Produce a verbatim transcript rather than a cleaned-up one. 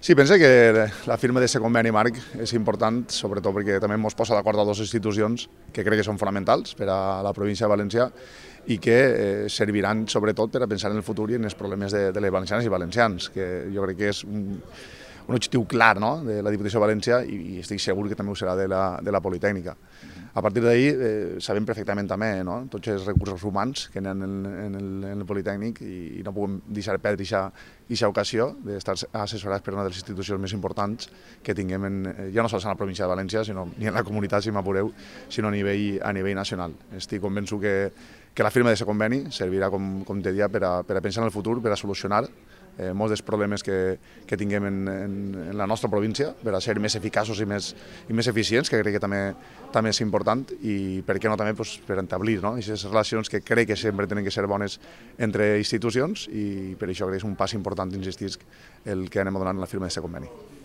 Sí, pense que la firma d'aquest conveni marc és important, sobretot perquè també ens posa d'acord a dues institucions que crec que són fonamentals per a la província de València i que eh, serviran sobretot per a pensar en el futur i en els problemes de, de les valencianes i valencians, que jo crec que és un, un objectiu clar, no?, de la Diputació de València i, i estic segur que també ho serà de la, de la Politècnica. A partir d'ahir eh, sabem perfectament també, no?, tots els recursos humans que hi ha en el, en el, en el Politècnic i, i no puguem deixar perdre aquesta ocasió d'estar assessorats per una de les institucions més importants que tinguem, en, ja no sols en la província de València, sinó ni en la comunitat, si m'apureu, sinó a nivell, a nivell nacional. Estic convençut que, que la firma d'aquest conveni servirà, com, com te dia, per a, per a pensar en el futur, per a solucionar eh, molts dels problemes que, que tinguem en, en, en la nostra província, per a ser més eficaços i més, i més eficients, que crec que també, també és important, i per què no també pues, per establir, no?, aquestes relacions que crec que sempre tenen que ser bones entre institucions, i per això crec que és un pas important, insistir, el que anem a donar en la firma d'aquest conveni.